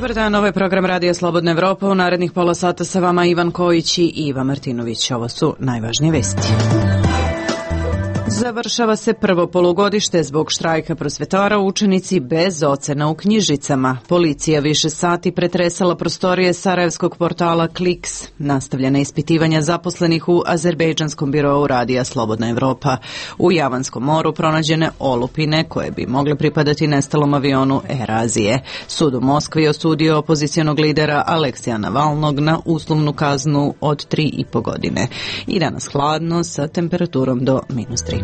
Dobar dan, ovo je program Radija Slobodna Evropa. U narednih pola sata sa vama Ivan Kojić i Iva Martinović. Ovo su najvažnije vesti. Završava se prvo polugodište zbog štrajka prosvetara, učenici bez ocena u knjižicama. Policija više sati pretresala prostorije sarajevskog portala Kliks. Nastavljena ispitivanja zaposlenih u azerbejdžanskom birou Radija Slobodna Evropa. U Javanskom moru pronađene olupine koje bi mogle pripadati nestalom avionu Air Azije. Sud u Moskvi osudio opozicionog lidera Aleksija Navalnog na uslovnu kaznu od 3,5 godine. I danas hladno sa temperaturom do -3.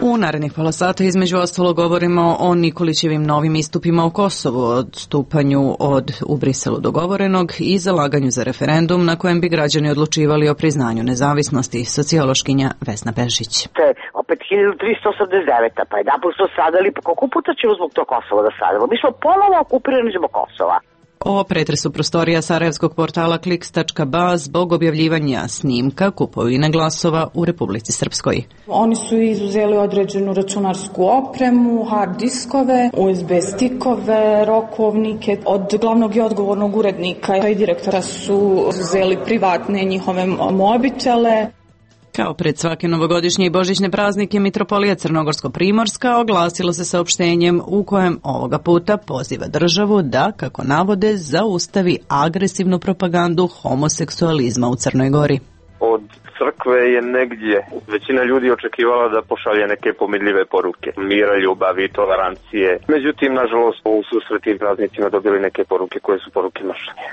U narednih pola sata između ostalo govorimo o Nikolićevim novim istupima u Kosovu, odstupanju od u Briselu dogovorenog i zalaganju za referendum na kojem bi građani odlučivali o priznanju nezavisnosti. Sociološkinja Vesna Pešić. Opet 1389. Pa jedan put smo stradali, pa koliko puta ćemo zbog tog Kosova da stradamo? Mi smo ponovo okupirani zbog Kosova. O pretresu prostorija sarajevskog portala Kliks.ba zbog objavljivanja snimka kupovine glasova u Republici Srpskoj. Oni su izuzeli određenu računarsku opremu, hard diskove, USB stikove, rokovnike. Od glavnog i odgovornog urednika i direktora su izuzeli privatne njihove mobitele. Kao pred svake novogodišnje i božićne praznike, Mitropolija Crnogorsko-Primorska oglasila se saopštenjem u kojem ovoga puta poziva državu da, kako navode, zaustavi agresivnu propagandu homoseksualizma u Crnoj Gori. Od crkve je negdje većina ljudi očekivala da pošalje neke pomirljive poruke, mira, ljubavi, tolerancije. Međutim, nažalost, u susretim praznicima dobili neke poruke koje su poruke mržnje.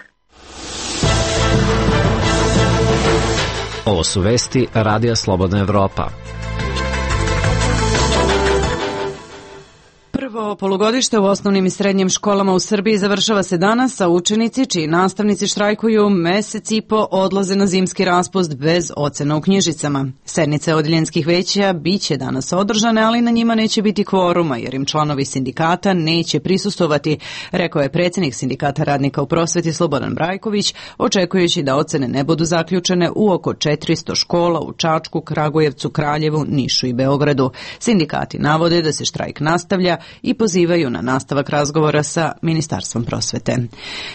Ovo su vesti Radija Slobodna Evropa. Prvo polugodište u osnovnim i srednjim školama u Srbiji završava se danas, a učenici čiji nastavnici štrajkuju mesec i po odlaze na zimski raspust bez ocena u knjižicama. Sednice odeljenskih veća biće danas održane, ali na njima neće biti kvoruma jer im članovi sindikata neće prisustvovati, rekao je predsjednik Sindikata radnika u prosveti Slobodan Brajković, očekujući da ocene ne budu zaključene u oko 400 škola u Čačku, Kragujevcu, Kraljevu, Nišu i Beogradu. Sindikati navode da se štrajk nastavlja i pozivaju na nastavak razgovora sa Ministarstvom prosvete.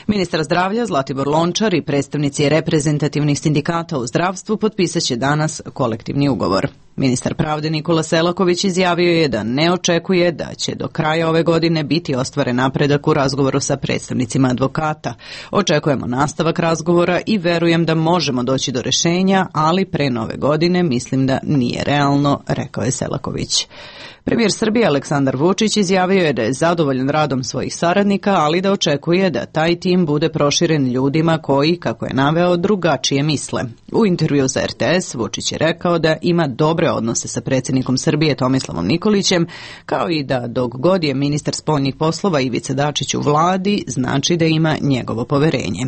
Ministar zdravlja Zlatibor Lončar i predstavnici reprezentativnih sindikata u zdravstvu potpisaće danas kolektivni ugovor. Ministar pravde Nikola Selaković izjavio je da ne očekuje da će do kraja ove godine biti ostvaren napredak u razgovoru sa predstavnicima advokata. Očekujemo nastavak razgovora i verujem da možemo doći do rješenja, ali pre nove godine mislim da nije realno, rekao je Selaković. Premijer Srbije Aleksandar Vučić izjavio je da je zadovoljan radom svojih saradnika, ali da očekuje da taj tim bude proširen ljudima koji, kako je naveo, drugačije misle. U intervju za RTS Vučić je rekao da ima dobre odnose sa predsjednikom Srbije Tomislavom Nikolićem, kao i da dok god je ministar spoljnih poslova Ivica Dačić u vladi, znači da ima njegovo poverenje.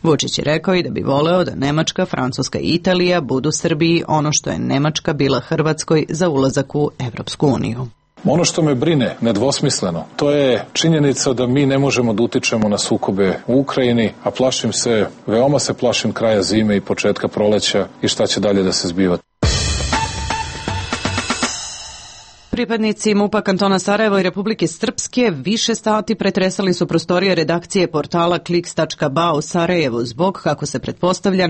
Vučić je rekao i da bi voleo da Nemačka, Francuska i Italija budu Srbiji ono što je Nemačka bila Hrvatskoj za ulazak u Evropsku uniju. Ono što me brine nedvosmisleno, to je činjenica da mi ne možemo da utičemo na sukobe u Ukrajini, a veoma se plašim kraja zime i početka proleća i šta će dalje da se zbiva. Pripadnici MUP-a kantona Sarajevo i Republike Srpske više sati pretresali su prostorije redakcije portala Kliks.ba u Sarajevu zbog, kako se pretpostavlja,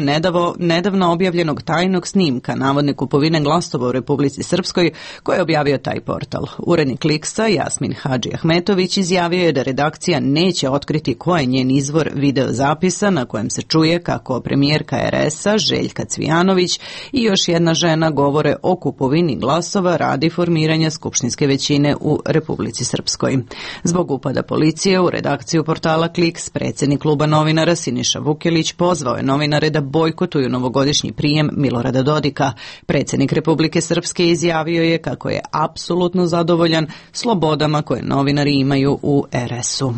nedavno objavljenog tajnog snimka navodne kupovine glasova u Republici Srpskoj koje je objavio taj portal. Urednik Kliksa Jasmin Hadži Ahmetović izjavio je da redakcija neće otkriti ko je njen izvor video zapisa na kojem se čuje kako premijerka RS-a Željka Cvijanović i još jedna žena govore o kupovini glasova radi formiranja skupštinske većine u Republici Srpskoj. Zbog upada policije u redakciju portala Kliks, predsjednik kluba novinara Siniša Vukelić pozvao je novinare da bojkotuju novogodišnji prijem Milorada Dodika. Predsjednik Republike Srpske izjavio je kako je apsolutno zadovoljan slobodama koje novinari imaju u RS-u.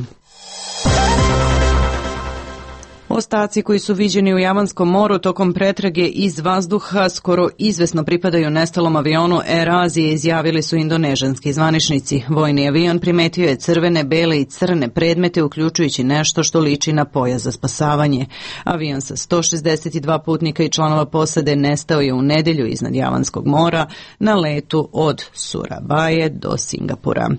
Ostaci koji su viđeni u Javanskom moru tokom pretrage iz vazduha skoro izvesno pripadaju nestalom avionu Air Azije, izjavili su indonežanski zvaničnici. Vojni avion primetio je crvene, bele i crne predmete, uključujući nešto što liči na pojas za spasavanje. Avion sa 162 putnika i članova posade nestao je u nedelju iznad Javanskog mora na letu od Surabaje do Singapura.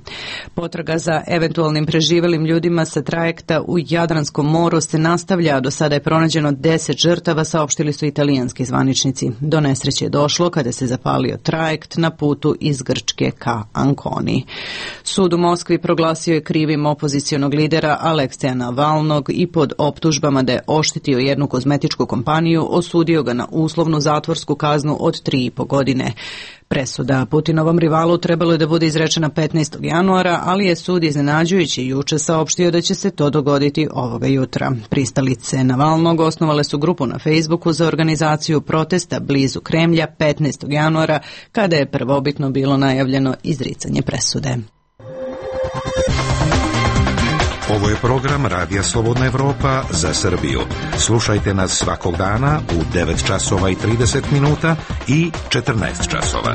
Potraga za eventualnim preživelim ljudima sa trajekta u Jadranskom moru se nastavlja, a do sada je pronađeno 10 žrtava, saopštili su italijanski zvaničnici. Do nesreće je došlo kada se zapalio trajekt na putu iz Grčke ka Anconi. Sud u Moskvi proglasio je krivim opozicionog lidera Alekseja Navalnog i pod optužbama da je oštetio jednu kozmetičku kompaniju osudio ga na uslovnu zatvorsku kaznu od 3,5 godine. Presuda Putinovom rivalu trebalo je da bude izrečena 15. januara, ali je sud iznenađujući juče saopštio da će se to dogoditi ovoga jutra. Pristalice Navalnog osnovale su grupu na Facebooku za organizaciju protesta blizu Kremlja 15. januara, kada je prvobitno bilo najavljeno izricanje presude. Ovo je program Radija Slobodna Evropa za Srbiju. Slušajte nas svakog dana u 9 časova i 30 minuta i 14 časova.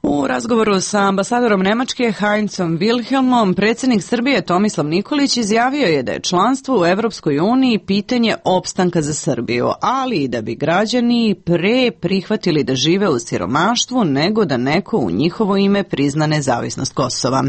U razgovoru sa ambasadorom Nemačke Heinzom Wilhelmom, predsjednik Srbije Tomislav Nikolić izjavio je da je članstvo u Evropskoj uniji pitanje opstanka za Srbiju, ali i da bi građani pre prihvatili da žive u siromaštvu nego da neko u njihovo ime prizna nezavisnost Kosova.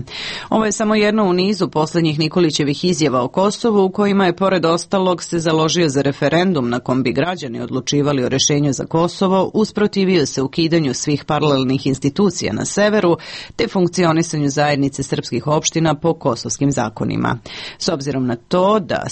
Ovo je samo jedno u nizu poslednjih Nikolićevih izjava o Kosovu, u kojima je pored ostalog se založio za referendum na kom bi građani odlučivali o rešenju za Kosovo, usprotivio se ukidanju svih paralelnih institucija na severu, te funkcionisanju zajednice srpskih opština po kosovskim zakonima. S obzirom na to da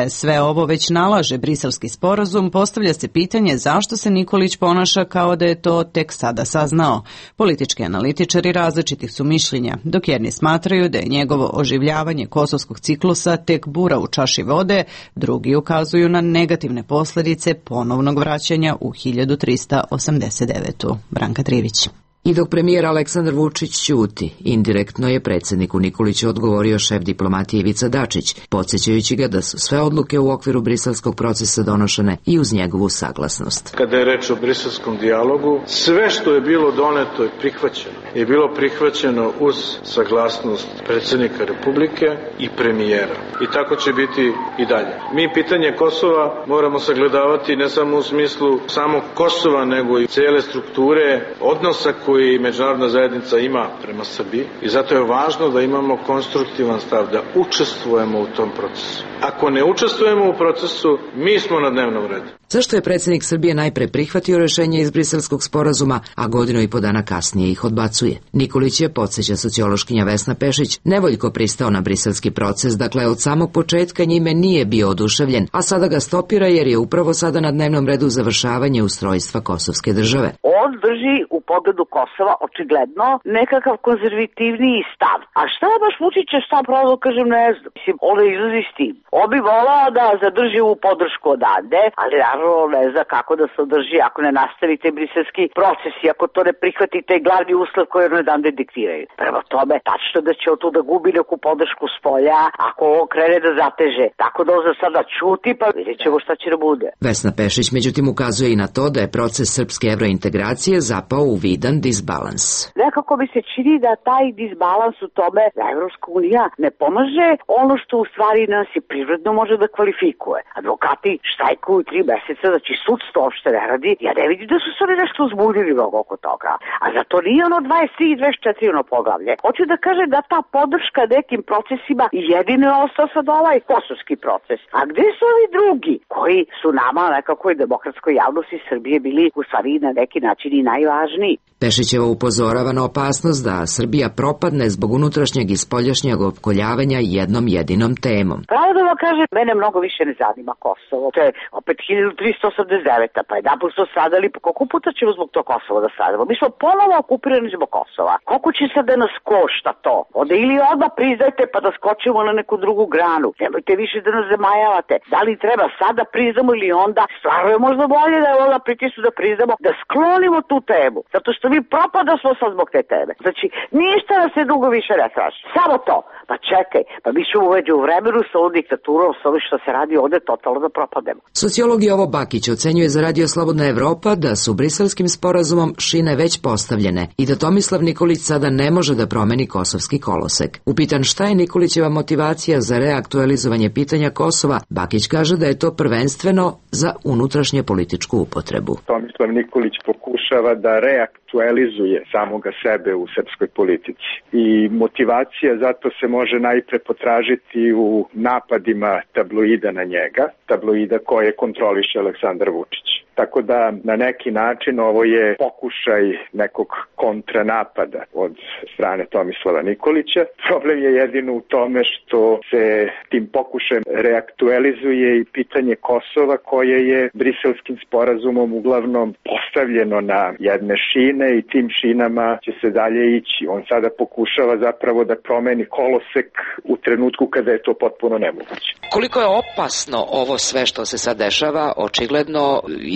sve ovo već nalaže Briselski sporazum, postavlja se pitanje zašto se Nikolić ponaša kao da je to tek sada saznao. Politički analitičari različitih su mišljenja, dok jedni smatraju da je njegovo oživljavanje kosovskog ciklusa tek bura u čaši vode, drugi ukazuju na negativne posledice ponovnog vraćanja u 1389. Branka Trivić. I dok premijer Aleksandar Vučić ćuti, indirektno je predsjedniku Nikoliću odgovorio šef diplomatije Ivica Dačić, podsjećajući ga da su sve odluke u okviru briselskog procesa donošene i uz njegovu saglasnost. Kada je reč o briselskom dijalogu, sve što je bilo doneto je prihvaćeno. Je bilo prihvaćeno uz saglasnost predsjednika Republike i premijera. I tako će biti i dalje. Mi pitanje Kosova moramo sagledavati ne samo u smislu samog Kosova, nego i cijele strukture odnosa koji međunarodna zajednica ima prema Srbiji i zato je važno da imamo konstruktivan stav, da učestvujemo u tom procesu. Ako ne učestvujemo u procesu, mi smo na dnevnom redu. Zašto je predsjednik Srbije najpre prihvatio rešenje iz Briselskog sporazuma, a godinu i po dana kasnije ih odbacuje? Nikolić je, podsjeća sociološkinja Vesna Pešić, nevoljko pristao na briselski proces, dakle od samog početka njime nije bio oduševljen, a sada ga stopira jer je upravo sada na dnevnom redu završavanje ustrojstva kosovske države. On drži u pogledu Kosova očigledno nekakav konzervativniji stav. A šta je baš Vučićev stav, pravo kažem, ne znam. Mislim, on izlazi s tim. On bi volao da zadrži ovu podršku odande, ali naravno ne zna kako da se održi ako ne nastavite briselski proces i ako to ne prihvatite glavni uslov koji on odande diktiraju. Prema tome, tačno da će on tu da gubi neku podršku s polja ako ovo krene da zateže. Tako da on za sada čuti, pa vidjet ćemo šta će da bude. Vesna Pešić međutim ukazuje i na to da je proces srpske evrointegracije zapao u vidan disbalans. Nekako mi se čini da taj disbalans u tome da Evropska unija ne pomaže ono što u stvari nas i prirodno može da kvalifikuje. Advokati štajkuju 3 meseca, znači sudstvo uopšte ne radi. Ja ne vidim da su se oni nešto uzbudili oko toga. A zato nije ono 23 i 24 ono poglavlje. Hoću da kaže da ta podrška nekim procesima jedino je ostao sad ovaj kosovski proces. A gde su ovi drugi koji su nama nekako i demokratskoj javnosti Srbije bili u stvari na neki način i najvažniji? Pešićeva upozorava na opasnost da Srbija propadne zbog unutrašnjeg i spoljašnjeg opkoljavanja jednom jedinom temom. Pravo da vam kažem, mene mnogo više ne zanima Kosovo. To je opet 1389. Pa jedan put su stradali, pa koliko puta ćemo zbog tog Kosova da stradamo? Mi smo ponovo okupirani zbog Kosova. Koliko će sad da nas košta to? Onda ili odmah priznajte pa da skočimo na neku drugu granu. Nemojte više da nas zamajavate. Da li treba sad da priznamo ili onda? Stvarno je možda bolje da je onda pritisnu da priznamo, da sklonimo tu temu. Zato što mi propada smo sad zbog te teme. Znači, ništa nas se dugo više ne traži. Samo to. Pa čekaj, pa mi ćemo uveđu u vremenu sa ovom diktaturom, sa ovim što se radi ovde, totalno da propademo. Sociolog Jovo Bakić ocenjuje za Radio Slobodna Evropa da su briselskim sporazumom šine već postavljene i da Tomislav Nikolić sada ne može da promeni kosovski kolosek. Upitan šta je Nikolićeva motivacija za reaktualizovanje pitanja Kosova, Bakić kaže da je to prvenstveno za unutrašnje političku upotrebu. Tomislav Nikolić pokušava da reaktualizuje samoga sebe u srpskoj politici i motivacija zato se može najpre potražiti u napadima tabloida na njega, tabloida koje kontroliše Aleksandar Vučić. Tako da na neki način ovo je pokušaj nekog kontranapada od strane Tomislava Nikolića. Problem je jedino u tome što se tim pokušajem reaktualizuje i pitanje Kosova koje je briselskim sporazumom uglavnom postavljeno na jedne šine i tim šinama će se dalje ići. On sada pokušava zapravo da promeni kolosek u trenutku kada je to potpuno nemoguće. Koliko je opasno ovo sve što se sad dešava, očigledno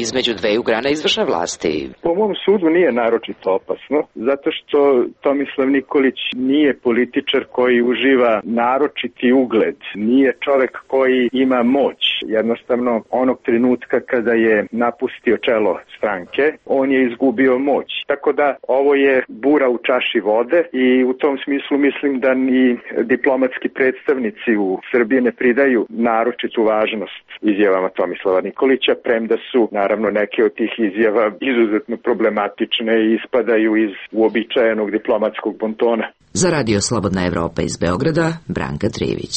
između dveju grana izvršne vlasti? Po mom sudu nije naročito opasno, zato što Tomislav Nikolić nije političar koji uživa naročiti ugled, nije čovek koji ima moć. Jednostavno, onog trenutka kada je napustio čelo stranke, on je izgubio moć. Tako da ovo je bura u čaši vode i u tom smislu mislim da ni diplomatski predstavnici u Srbiji ne pridaju naročitu važnost izjavama Tomislava Nikolića, premda su naravno neke od tih izjava izuzetno problematične i ispadaju iz uobičajenog diplomatskog bontona. Za Radio Slobodna Evropa iz Beograda, Branka Trivić.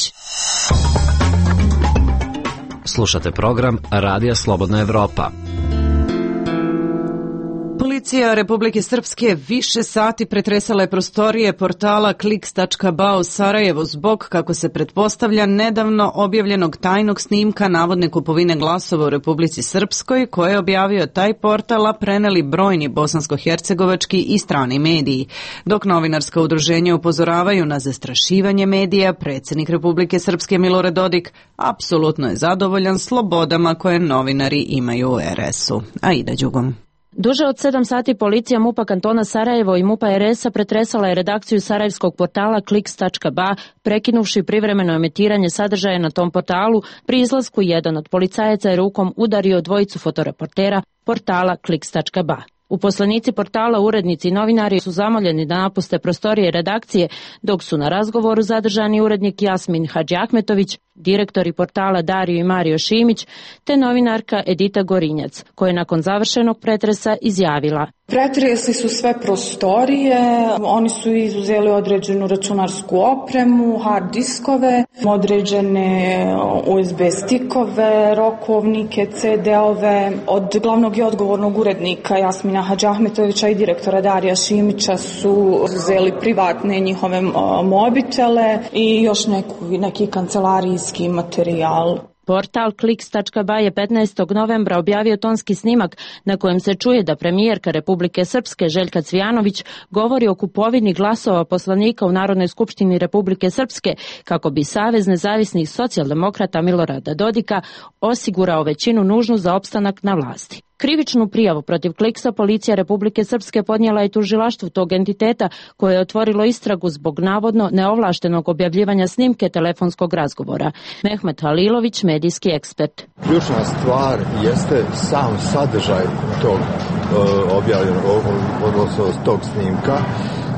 Slušate program Radija Slobodna Evropa. Policija Republike Srpske više sati pretresala je prostorije portala kliks.ba u Sarajevu zbog, kako se pretpostavlja, nedavno objavljenog tajnog snimka navodne kupovine glasova u Republici Srpskoj, koje je objavio taj portal, a preneli brojni bosansko-hercegovački i strani mediji. Dok novinarska udruženja upozoravaju na zastrašivanje medija, predsjednik Republike Srpske Milorad Dodik apsolutno je zadovoljan slobodama koje novinari imaju u RS-u. Aida Đugom. Duže od 7 sati policija MUP-a kantona Sarajevo i MUP-a RS-a pretresala je redakciju sarajevskog portala kliks.ba, prekinuvši privremeno emitiranje sadržaja na tom portalu. Pri izlasku jedan od policajaca je rukom udario dvojicu fotoreportera portala kliks.ba. Uposlenici portala, urednici i novinari su zamoljeni da napuste prostorije redakcije, dok su na razgovoru zadržani urednik Jasmin Hadžiahmetović, direktori portala Dario i Mario Šimić, te novinarka Edita Gorinjac, koja je nakon završenog pretresa izjavila: Pretresli su sve prostorije, oni su izuzeli određenu računarsku opremu, hard diskove, određene USB stikove, rokovnike, CD-ove. Od glavnog i odgovornog urednika Jasmina Hadžiahmetovića i direktora Darija Šimića su uzeli privatne njihove mobitele i još neki kancelarijski materijal. Portal kliks.ba je 15. novembra objavio tonski snimak na kojem se čuje da premijerka Republike Srpske Željka Cvijanović govori o kupovini glasova poslanika u Narodnoj skupštini Republike Srpske kako bi Savez nezavisnih socijaldemokrata Milorada Dodika osigurao većinu nužnu za opstanak na vlasti. Krivičnu prijavu protiv Kliksa policija Republike Srpske podnijela je tužilaštvu tog entiteta koje je otvorilo istragu zbog navodno neovlaštenog objavljivanja snimke telefonskog razgovora. Mehmet Halilović, medijski ekspert. Ključna stvar jeste sam sadržaj tog objavljenog, odnosno tog snimka,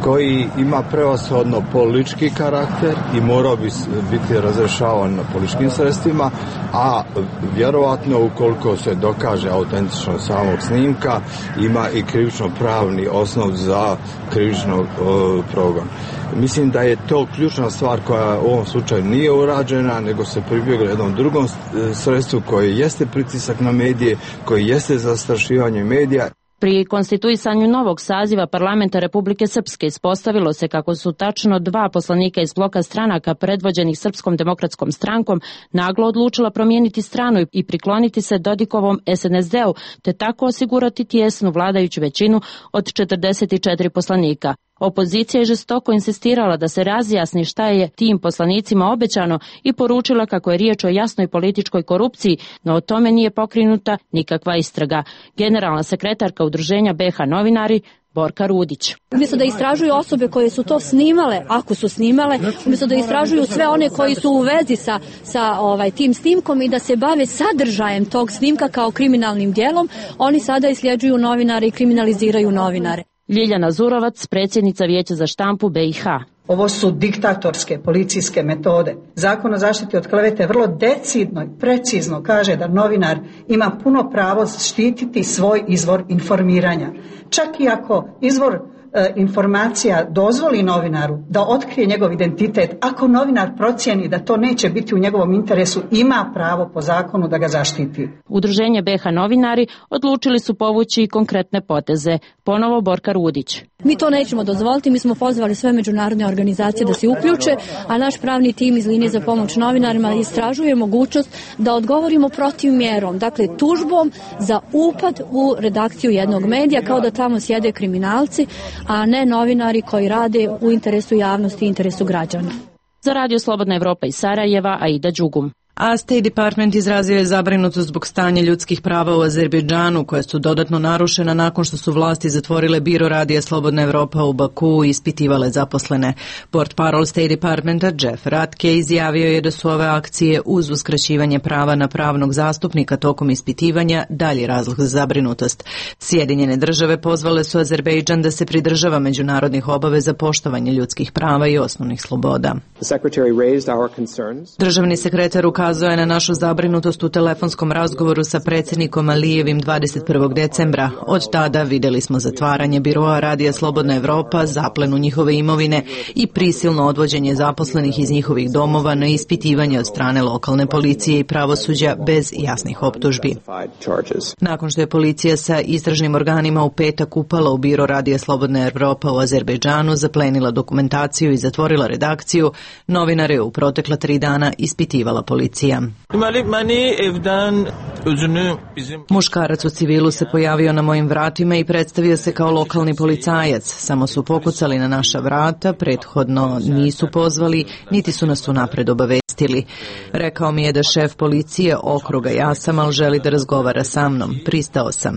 koji ima prevashodno politički karakter i morao bi biti razrešavan političkim sredstvima, a vjerovatno ukoliko se dokaže autentičnost samog snimka, ima i krivično-pravni osnov za krivično progon. Mislim da je to ključna stvar koja u ovom slučaju nije urađena, nego se pribjeglo jednom drugom sredstvu koje jeste pritisak na medije, koji jeste zastrašivanje medija. Pri konstituisanju novog saziva parlamenta Republike Srpske ispostavilo se kako su tačno 2 poslanika iz bloka stranaka predvođenih Srpskom demokratskom strankom naglo odlučila promijeniti stranu i prikloniti se Dodikovom SNSD-u, te tako osigurati tijesnu vladajuću većinu od 44 poslanika. Opozicija je žestoko insistirala da se razjasni šta je tim poslanicima obećano i poručila kako je riječ o jasnoj političkoj korupciji, no o tome nije pokrenuta nikakva istraga. Generalna sekretarka udruženja BH novinari Borka Rudić. Umjesto da istražuju osobe koje su to snimale, ako su snimale, umjesto da istražuju sve one koji su u vezi sa tim snimkom i da se bave sadržajem tog snimka kao kriminalnim djelom, oni sada isljeđuju novinare i kriminaliziraju novinare. Ljiljana Zurovac, predsjednica Vijeća za štampu BiH. Ovo su diktatorske policijske metode. Zakon o zaštiti od klevete vrlo decidno i precizno kaže da novinar ima puno pravo štititi svoj izvor informiranja. Čak i ako izvor informacija dozvoli novinaru da otkrije njegov identitet, ako novinar procijeni da to neće biti u njegovom interesu, ima pravo po zakonu da ga zaštiti. Udruženje BiH novinari odlučili su povući i konkretne poteze. Ponovo Borka Rudić. Mi to nećemo dozvoliti, mi smo pozvali sve međunarodne organizacije da se uključe, a naš pravni tim iz linije za pomoć novinarima istražuje mogućnost da odgovorimo protiv mjerom, dakle tužbom za upad u redakciju jednog medija, kao da tamo sjede kriminalci, a ne novinari koji rade u interesu javnosti i interesu građana. Za Radio Slobodna Evropa iz Sarajeva, Aida Đugum. A State Department izrazio je zabrinutost zbog stanja ljudskih prava u Azerbejdžanu, koja su dodatno narušena nakon što su vlasti zatvorile biro Radija Slobodna Evropa u Baku i ispitivale zaposlene. Portparol State Departmenta Jeff Ratke izjavio je da su ove akcije uz uskraćivanje prava na pravnog zastupnika tokom ispitivanja dalji razlog za zabrinutost. Sjedinjene države pozvale su Azerbejdžan da se pridržava međunarodnih obaveza poštovanja ljudskih prava i osnovnih sloboda. Državni sekretar ukazuje na našu zabrinutost u telefonskom razgovoru sa predsjednikom Alijevim 21. decembra. Od tada vidjeli smo zatvaranje biroa Radija Slobodna Evropa, zaplenu njihove imovine i prisilno odvođenje zaposlenih iz njihovih domova na ispitivanje od strane lokalne policije i pravosuđa bez jasnih optužbi. Nakon što je policija sa istražnim organima u petak upala u biro Radija Slobodna Evropa u Azerbejdžanu, zaplenila dokumentaciju i zatvorila redakciju, novinare u protekla 3 dana ispitivala policija. Muškarac u civilu se pojavio na mojim vratima i predstavio se kao lokalni policajac. Samo su pokucali na naša vrata, prethodno nisu pozvali, niti su nas unapred obavestili. Rekao mi je da šef policije okruga Jasamal želi da razgovara sa mnom. Pristao sam.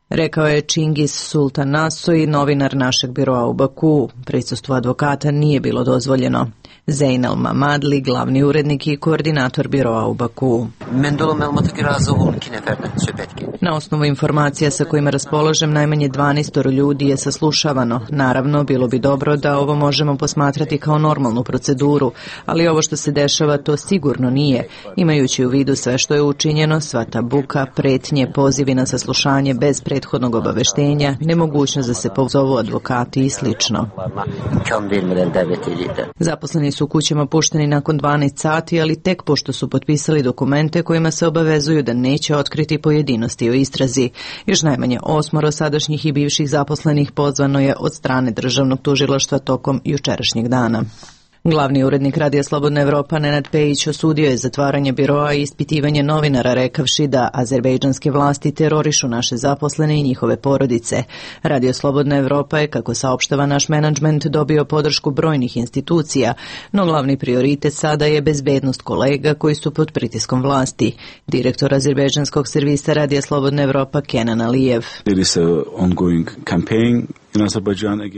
Rekao je Čingis Sultan Nasoy, novinar našeg biroa u Baku. Prisustvo advokata nije bilo dozvoljeno. Zeynel Mamadli, glavni urednik i koordinator biroa u Baku. Na osnovu informacija sa kojima raspolažem, najmanje 12 ljudi je saslušavano. Naravno, bilo bi dobro da ovo možemo posmatrati kao normalnu proceduru, ali ovo što se dešava to sigurno nije. Imajući u vidu sve što je učinjeno, sva ta buka, pretnje, pozivi na saslušanje bez prethodnog obaveštenja, nemogućnost da se pozovu advokati i slično. Zaposleni su u kućama pušteni nakon 12 sati, ali tek pošto su potpisali dokumente kojima se obavezuju da neće otkriti pojedinosti o istrazi. Još najmanje 8 sadašnjih i bivših zaposlenih pozvano je od strane državnog tužilaštva tokom jučerašnjeg dana. Glavni urednik Radija Slobodna Evropa Nenad Pejić osudio je zatvaranje biroa i ispitivanje novinara, rekavši da azerbejdžanske vlasti terorišu naše zaposlene i njihove porodice. Radio Slobodna Evropa je, kako saopštava naš menadžment, dobio podršku brojnih institucija, no glavni prioritet sada je bezbednost kolega koji su pod pritiskom vlasti. Direktor azerbejdžanskog servisa Radija Slobodna Evropa Kenan Alijev.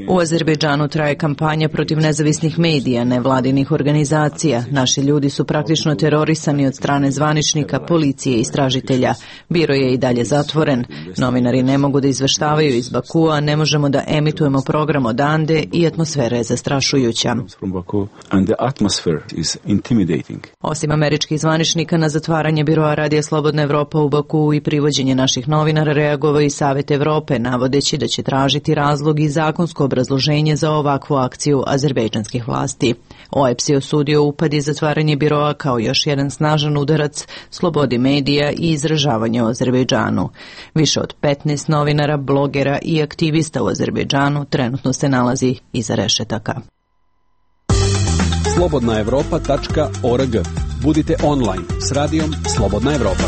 U Azerbejdžanu traje kampanja protiv nezavisnih medija, nevladinih organizacija. Naši ljudi su praktično terorisani od strane zvaničnika, policije i istražitelja. Biro je i dalje zatvoren. Novinari ne mogu da izveštavaju iz Bakua, ne možemo da emitujemo program odande i atmosfera je zastrašujuća. Osim američkih zvaničnika, na zatvaranje biroa Radija Slobodna Evropa u Baku i privođenje naših novinara reagovao i Savet Evrope, navodeći da će tražiti razlog i zakonsko obrazloženje za ovakvu akciju azerbejdžanskih vlasti. OEBS je osudio upad i zatvaranje biroa kao još jedan snažan udarac slobodi medija i izražavanja u Azerbejdžanu. Više od 15 novinara, blogera i aktivista u Azerbejdžanu trenutno se nalazi iza rešetaka. slobodnaevropa.org. Budite online s radijom Slobodna Evropa.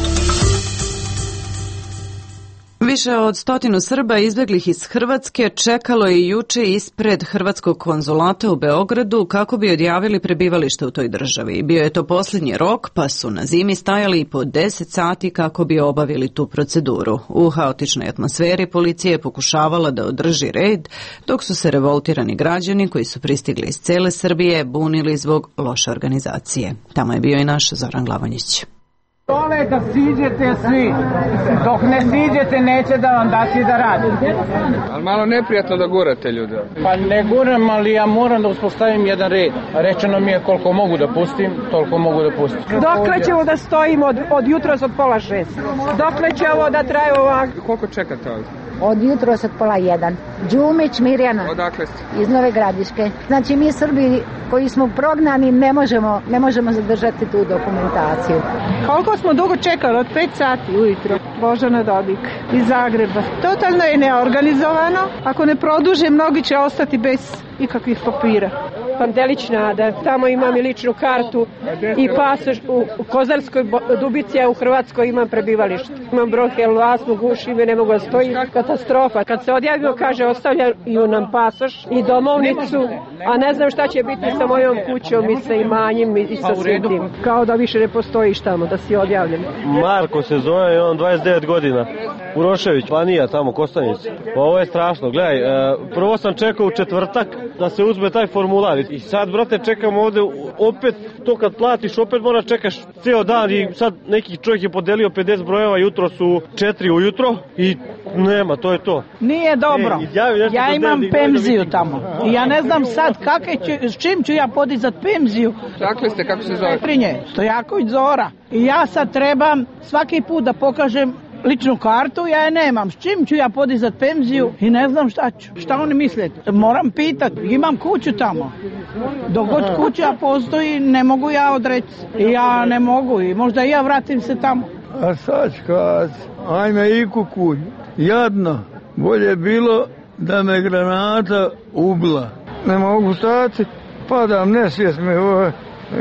Više od 100 Srba izbeglih iz Hrvatske čekalo je juče ispred Hrvatskog konzulata u Beogradu kako bi odjavili prebivalište u toj državi. Bio je to posljednji rok, pa su na zimi stajali i po 10 sati kako bi obavili tu proceduru. U haotičnoj atmosferi policija je pokušavala da održi red, dok su se revoltirani građani koji su pristigli iz cele Srbije bunili zbog loše organizacije. Tamo je bio i naš Zoran Glavonjić. Dole da siđete svi, dok ne siđete neće da vam dati da radite. Ali malo neprijatno da gurate ljude. Pa ne guram, ali ja moram da uspostavim jedan red. Rečeno mi je koliko mogu da pustim, toliko mogu da pustim. Dokle ćemo da stojimo od jutros od 5:30? Dokle će ovo da traje ovako? Koliko čekate ovdje? Od jutros od 12:30. Đumić Mirjana. Odakle ste? Iz Nove Gradiške. Znači mi Srbi koji smo prognani ne možemo zadržati tu dokumentaciju. Koliko smo dugo čekali? Od 5 sati ujutro. Božana Dodik iz Zagreba. Totalno je neorganizovano. Ako ne produže, mnogi će ostati bez ikakvih papira. Pandelić Nada, tamo imam i ličnu kartu i pasoš u Kozarskoj Dubici, a u Hrvatskoj imam prebivalište. Imam bronhijalnu astmu, guši me, ne mogu da stojim, katastrofa. Kad se odjavimo, kaže, ostavljaju nam pasoš i domovnicu, a ne znam šta će biti sa mojom kućom i sa imanjem i sa svim tim. Kao da više ne postojiš tamo, da si odjavljen. Marko se zove, on 29 godina. Urošević, Panija, tamo, Kostanici. Ovo je strašno, gledaj, prvo sam čekao u četvrtak da se uzme taj formular i sad, brate, čekam ovde, opet to kad platiš, opet moraš čekaš ceo dan i sad neki čovjek je podelio 50 brojeva, jutro su 4 ujutro i nema, to je to. Nije dobro, ja imam penziju tamo i ja ne znam sad s čim ću ja podizat penziju. Dakle ste, kako se zove? Petrinje, Stojaković Zora. I ja sad trebam svaki put da pokažem ličnu kartu, ja je nemam. S čim ću ja podizat penziju i ne znam šta ću. Šta oni misle? Moram pitat. Imam kuću tamo. Dok god kuća postoji, ne mogu ja odreći. Ja ne mogu i možda ja vratim se tamo. A sad kad, ajme i kukulj. Jadno. Bolje bilo da me granata ubila. Ne mogu stati. Padam, nesvijest me.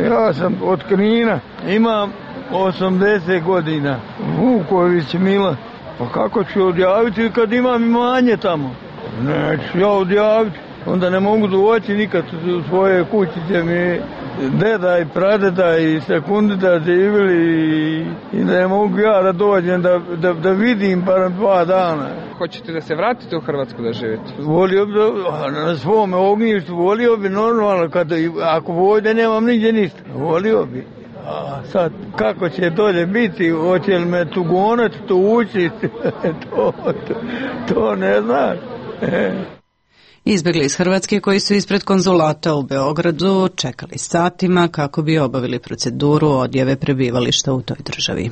Ja sam od Knina. Imam 80 godina. Vuković Mila. Pa kako ću odjaviti kad imam imanje tamo? Neću ja odjaviti. Onda ne mogu doći nikad u svoje kućice mi deda i pradeda i sekundita živjeli i ne mogu ja da dođem da vidim bar 2 dana. Hoćete da se vratite u Hrvatsku da živite? Volio bi na svome ognjištu, volio bi normalno, ako ovdje nemam nigdje ništa, volio bi. A sad, kako će dolje biti, hoće li me tu gonati, tu učiti, to ne znaš. Izbjegli iz Hrvatske koji su ispred konzulata u Beogradu čekali satima kako bi obavili proceduru odjave prebivališta u toj državi.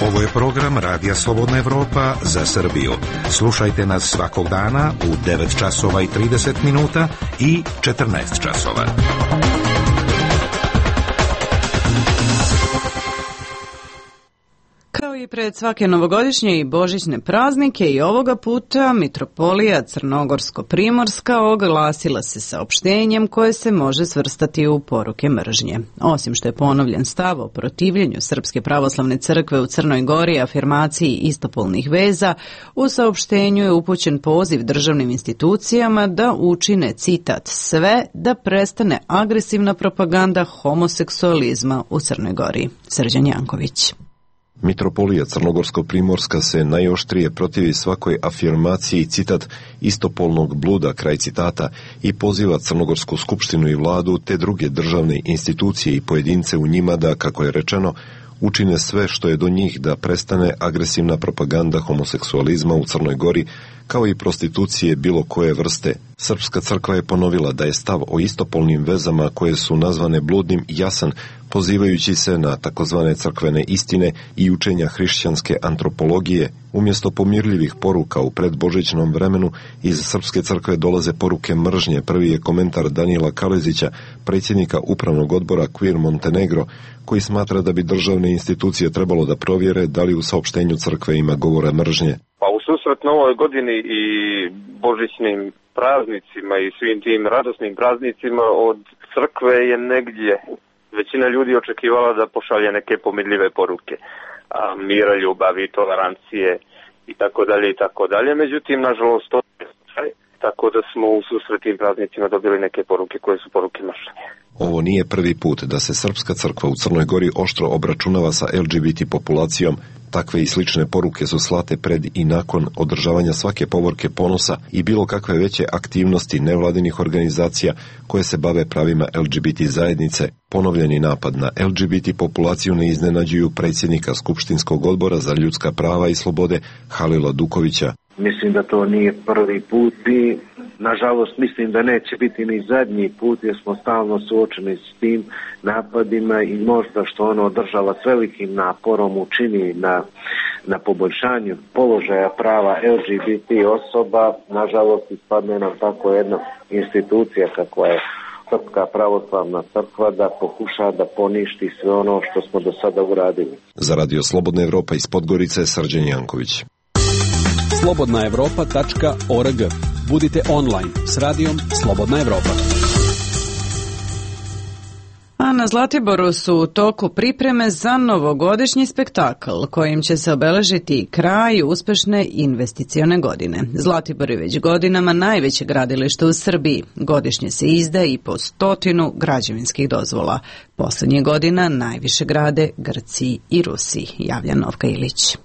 Ovo je program Radija Slobodna Evropa za Srbiju. Slušajte nas svakog dana u 9 časova i 30 minuta i 14 časova. Kao i pred svake novogodišnje i božićne praznike i ovoga puta Mitropolija Crnogorsko-Primorska oglasila se saopštenjem koje se može svrstati u poruke mržnje. Osim što je ponovljen stav o protivljenju Srpske pravoslavne crkve u Crnoj Gori afirmaciji istopolnih veza, u saopštenju je upućen poziv državnim institucijama da učine, citat, sve da prestane agresivna propaganda homoseksualizma u Crnoj Gori. Srđan Janković. Mitropolija Crnogorsko-Primorska se najoštrije protivi svakoj afirmaciji, citat, istopolnog bluda, kraj citata, i poziva Crnogorsku skupštinu i vladu te druge državne institucije i pojedince u njima da, kako je rečeno, učine sve što je do njih da prestane agresivna propaganda homoseksualizma u Crnoj Gori, kao i prostitucije bilo koje vrste. Srpska crkva je ponovila da je stav o istopolnim vezama koje su nazvane bludnim jasan, pozivajući se na takozvane crkvene istine i učenja hrišćanske antropologije. Umjesto pomirljivih poruka u predbožićnom vremenu, iz Srpske crkve dolaze poruke mržnje. Prvi je komentar Danijela Kalezića, predsjednika upravnog odbora Queer Montenegro, koji smatra da bi državne institucije trebalo da provjere da li u saopštenju crkve ima govora mržnje. Pa u susret novoj godini i božićnim praznicima i svim tim radosnim praznicima od crkve je negdje većina ljudi očekivala da pošalje neke pomirljive poruke. mira, ljubavi, tolerancije i tako dalje. Međutim, nažalost, to je slučaj, tako da smo u susretnim praznicima dobili neke poruke koje su poruke mržnje. Ovo nije prvi put da se Srpska crkva u Crnoj Gori oštro obračunava sa LGBT populacijom. Takve i slične poruke su slate pred i nakon održavanja svake povorke ponosa i bilo kakve veće aktivnosti nevladinih organizacija koje se bave pravima LGBT zajednice. Ponovljeni napad na LGBT populaciju ne iznenađuju predsjednika Skupštinskog odbora za ljudska prava i slobode Halila Dukovića. Mislim da to nije prvi put i nažalost mislim da neće biti ni zadnji put jer smo stalno suočeni s tim napadima i možda što ono država s velikim naporom učini na poboljšanju položaja prava LGBT osoba, nažalost ispadne nam tako jedna institucija kakva je Srpska pravoslavna crkva da pokuša da poništi sve ono što smo do sada uradili. Za Radio Slobodna Evropa iz Podgorice, Srđan Janković. slobodnaevropa.org. Budite online s radijom Slobodna Evropa. A na Zlatiboru su u toku pripreme za novogodišnji spektakl kojim će se obeležiti kraj uspešne investicione godine. Zlatibor je već godinama najveće gradilište u Srbiji. Godišnje se izda i po 100 građevinskih dozvola. Poslednjih godina najviše grade Grci i Rusi, javlja Novka Ilić.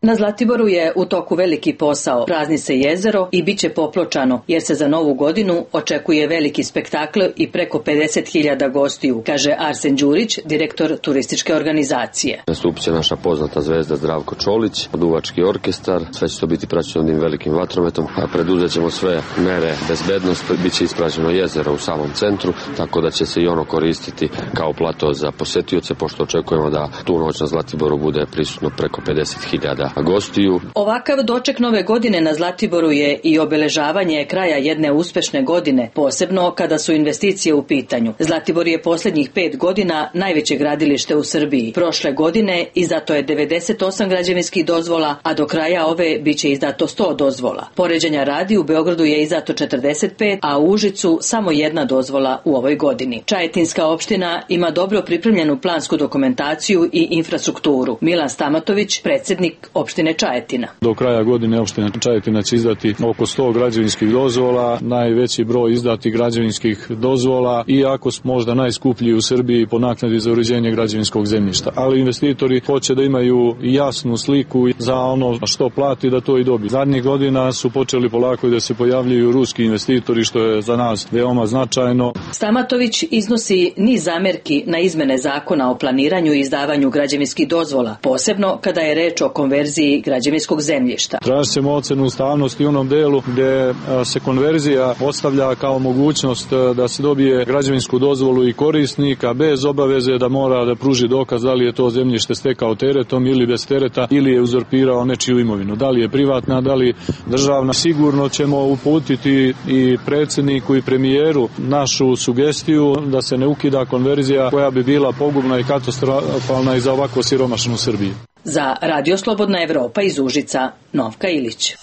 Na Zlatiboru je u toku veliki posao. Prazni se jezero i bit će popločano, jer se za novu godinu očekuje veliki spektakl i preko 50.000 gostiju, kaže Arsen Đurić, direktor turističke organizacije. Nastupit će naša poznata zvezda Zdravko Čolić, duvački orkestar, sve će to biti praćeno onim velikim vatrometom, a preduzet ćemo sve mere bezbednosti, bit će ispražnjeno jezero u samom centru, tako da će se i ono koristiti kao plato za posetioce, pošto očekujemo da tu noć na Zlatiboru bude prisutno preko 50.000 gostiju. Ovakav doček nove godine na Zlatiboru je i obeležavanje kraja jedne uspešne godine, posebno kada su investicije u pitanju. Zlatibor je posljednjih 5 godina najveće gradilište u Srbiji. Prošle godine izdato je 98 građevinskih dozvola, a do kraja ove biće izdato 100 dozvola. Poređenja radi, u Beogradu je izdato 45, a u Užicu samo 1 dozvola u ovoj godini. Čajetinska opština ima dobro pripremljenu plansku dokumentaciju i infrastrukturu. Milan Stamatović, predsjednik opštine Čajetina. Do kraja godine opština Čajetina će izdati oko 100 građevinskih dozvola, najveći broj izdatih građevinskih dozvola, iako smo možda najskuplji u Srbiji po naknadi za uređenje građevinskog zemljišta. Ali investitori hoće da imaju jasnu sliku za ono što plati da to i dobiju. Zadnjih godina su počeli polako da se pojavljuju ruski investitori, što je za nas veoma značajno. Stamatović iznosi niz zamerki na izmene zakona o planiranju i izdavanju građevinskih dozvola, posebno kada je reč o konverziji građevinskog zemljišta. Tražit ćemo ocenu ustavnosti u onom delu gde se konverzija ostavlja kao mogućnost da se dobije građevinsku dozvolu i korisnika bez obaveze da mora da pruži dokaz da li je to zemljište stekao teretom ili bez tereta ili je uzurpirao nečiju imovinu. Da li je privatna, da li državna. Sigurno ćemo uputiti i predsjedniku i premijeru našu sugestiju da se ne ukida konverzija koja bi bila pogubna i katastrofalna i za ovako siromašnu Srbiju. Za Radio Slobodna Evropa iz Užica, Novka Ilić.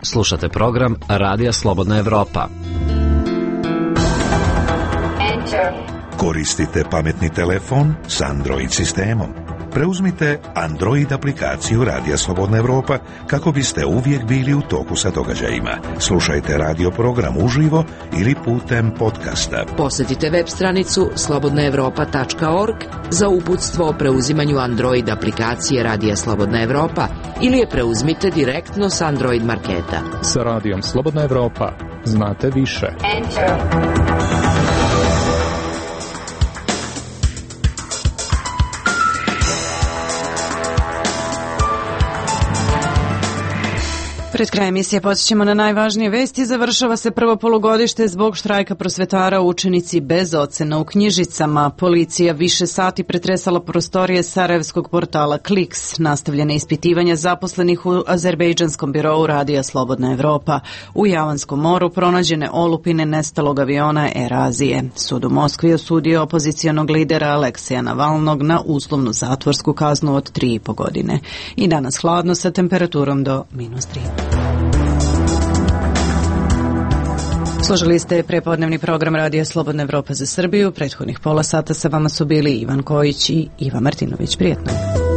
Slušate program Radija Slobodna Evropa. Koristite pametni telefon s Android sistemom. Preuzmite Android aplikaciju Radija Slobodna Evropa kako biste uvijek bili u toku sa događajima. Slušajte radio program uživo ili putem podcasta. Posjetite web stranicu slobodnaevropa.org za uputstvo o preuzimanju Android aplikacije Radija Slobodna Evropa ili je preuzmite direktno s Android marketa. Sa Radijom Slobodna Evropa znate više. Pred kraj emisije podsjećamo na najvažnije vesti. Završava se prvo polugodište zbog štrajka prosvetara, učenici bez ocena u knjižicama. Policija više sati pretresala prostorije sarajevskog portala Kliks. Nastavljene ispitivanja zaposlenih u azerbejdžanskom birou Radija Slobodna Evropa. U Javanskom moru pronađene olupine nestalog aviona Air Azije. Sud u Moskvi osudio opozicijonog lidera Aleksija Navalnog na uslovnu zatvorsku kaznu od 3,5 godine. I danas hladno sa temperaturom do -3. Slušali ste prepodnevni program Radija Slobodna Evropa za Srbiju. Prethodnih pola sata sa vama su bili Ivan Kojić i Iva Martinović. Prijetno.